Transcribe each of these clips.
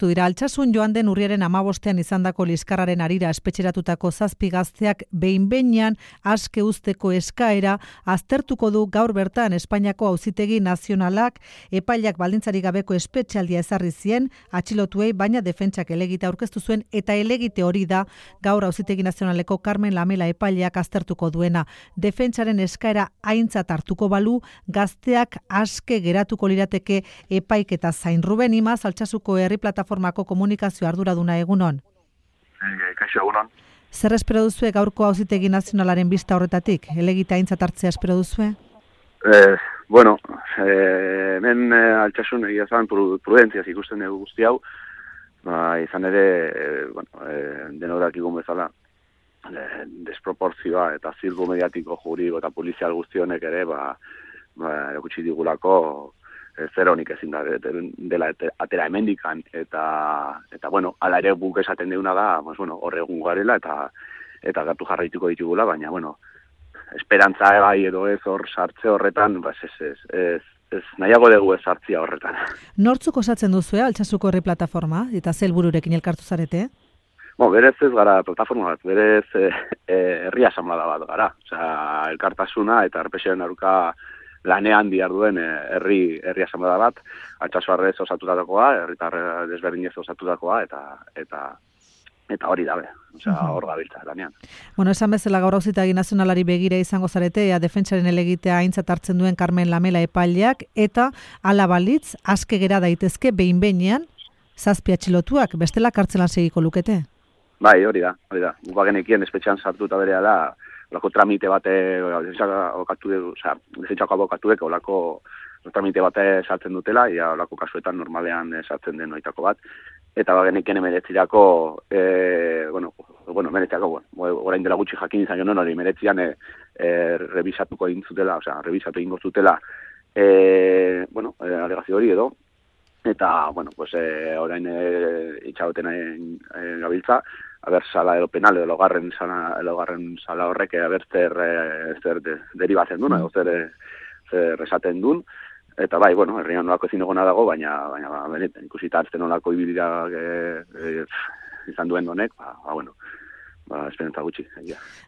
zehaztu dira. Altsasun joan den urriaren 15ean izandako liskarraren harira espetxeratutako 7 gazteak behin-behinean aske uzteko eskaera aztertuko du gaur bertan Espainiako Auzitegi Nazionalak. Epaileak baldintzarik gabeko espetxealdia ezarri zien atxilotuei, baina defentsak helegite aurkeztu zuen eta helegite hori da gaur Auzitegi Nazionaleko Carmen Lamela epaileak aztertuko duena. Defentsaren eskaera aintzat hartuko balu, gazteak aske geratuko lirateke epaiketa zain. Ruben Imaz, Altsasuko Herri Plataformako komunikazio arduraduna, egunon. Kaixo, egunon. Zer espero duzue gaurko Auzitegi Nazionalaren bista horretatik? Helegite aintzat hartzea espero duzue? Bueno, hemen Altsasun egia zan prudentziaz ikusten dugu guzti hau, izan ere, denodak igun bezala, desproporzioa eta zirku mediatiko juridiko eta polizial guztionek ere, erakutsi digulako zer honik ezin dela atera hemendikan, eta bueno, ala ere guk esaten deuna da, horre egun garela eta gertu jarraituko ditugula, baina, esperantza bai edo ez hor sartze horretan, ez nahiago dugu ez sartzia horretan. Nortzuk osatzen duzu, Altsasuko Herri Plataforma, eta ze helbururekin elkartu zarete? Berez ez gara plataforma bat, berez herri asamblea bat gara. Osea, elkartasuna eta errepresioaren aurka lanean diharduen herri asamblea bat, Altsasu osatutakoa, herritar desberdinez osatutakoa, eta hori dabe, hor gabiltza lanean. Esan bezala gaur Auzitegi Nazionalari begira izango zarete, defentsaren helegitea aintzat hartzen duen Carmen Lamela epaileak, eta hala balitz, aske gera daitezke behin-behinean 7 atxilotuak, bestela kartzelan segiko lukete? Bai, hori da. Bagenekien espetxean sartuta berea da, olako tramite bate, defentsako abokatuek olako tramite bate sartzen dutela, ia olako kasuetan normalean sartzen den oitako bat, eta bagenekien emeretzirako, orain dela gutxi jakin izan joan hori, emeretzian revisatuko egin zutela, revisatu egingo zutela, alegazio hori edo, eta, orain itxagoten gabiltza, haber sala edo penal edo logarren sala horrek haber zer deribatzen duen, edo zer esaten duen, eta bai, herrian nolako ezin egona dago, baina benetan ikusita hartzen nolako ibilira izan duen honek, esperantza gutxi.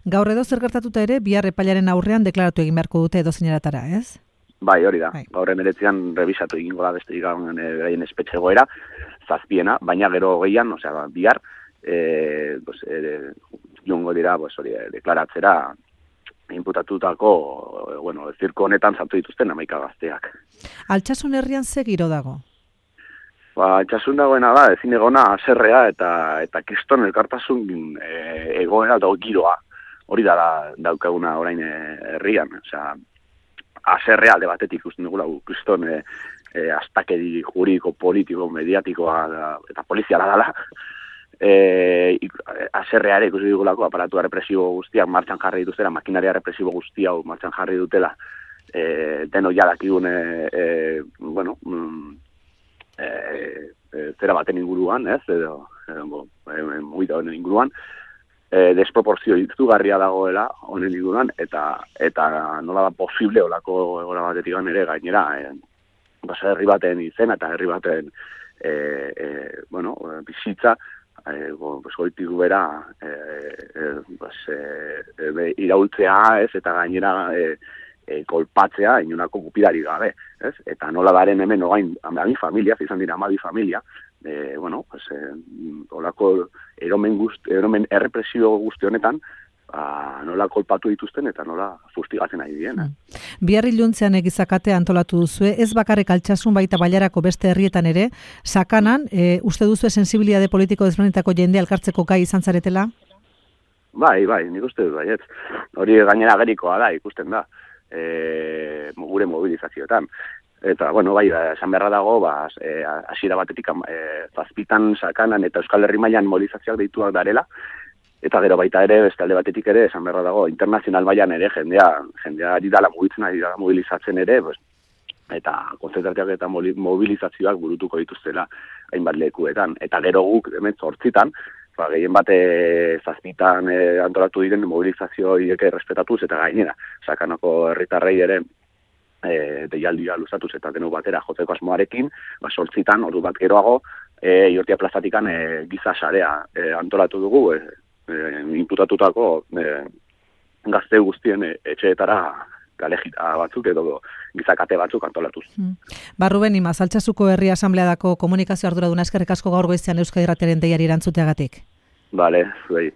Gaur edo zer gertatuta ere, bihar epailaren aurrean deklaratu egin beharko dute edo zeineratara, ez? Bai, hori da. Gaur emeretzian revisatu egingo da beste beraien espetxe egoera, 7, baina gero gehian, bihar, jongo dira, deklaratzera inputatutako, zirko honetan sartu dituzten 11 gazteak. Altsasun herrian ze giro dago? Altsasun dagoena da, ezin egona haserrea eta kriston elkartasun egoera eta giroa. Hori da daukaguna orain herrian, haserrea alde batetik ikusten dugula, kriston astakeri juridiko, politiko, mediatikoa eta poliziala dela, haserreare ikusi dugulako aparatua represibo guztiak martxan jarri dituztela, makinaria represibo guztia martxan jarri dutela, deno jadakigun zera baten inguruan, ez, edo mugita honen inguruan, desproporzio izugarria dagoela honen inguruan, eta nola da posible olako egora batetik ere gainera, herri baten izena eta herri baten bizitza, goitik bera iraultzea, ez, eta gainera kolpatzea inonako gupidari gabe, ez? Eta nola daren hemen ogain 12 familia, izan dira 12 familia, olako eromen errepresio guzti honetan, nola kolpatu dituzten eta nola fustigatzen ari diren. Bihar iluntzean egizakate antolatu duzue, ez bakarrik Altsasun baita Bailarako beste herrietan ere, Sakanan, uste duzue sensibilitate politiko desberdinetako jende elkartzeko gai izan zaretela? Bai, nik uste dut baiet. Hori gainera gerikoa da, ikusten da, gure mobilizazioetan. Eta, bai, esan beharra dago, hasiera batetik 7 Sakanan eta Euskal Herri mailan mobilizazioak deituak darela, eta gero baita ere, beste alde batetik ere, esan beharra dago, internazional mailan ere, jendea ari dala mugitzen, ari dala mobilizatzen ere, eta konzentratuak eta mobilizazioak burutuko dituztela hainbat lekuetan. Eta gero guk, hemen 8, gehien bat 7 antolatu diren mobilizazio horiek errespetatuz, eta gainera, Sakanako herritarrei ere, deialdia luzatuz eta denok batera jotzeko asmoarekin, 8 ordu bat geroago, Iortia plazatikan giza sarea antolatu dugu, inputatutako gazte guztien etxeetara galejita batzuk edo gizakate batzuk antolatuz. Ruben Imaz, Altsasuko Herri Asambleadako komunikazio arduraduna, eskerrik asko gaur goizean Euskadi Irratiaren deiari erantzuteagatik. Bale, zuei.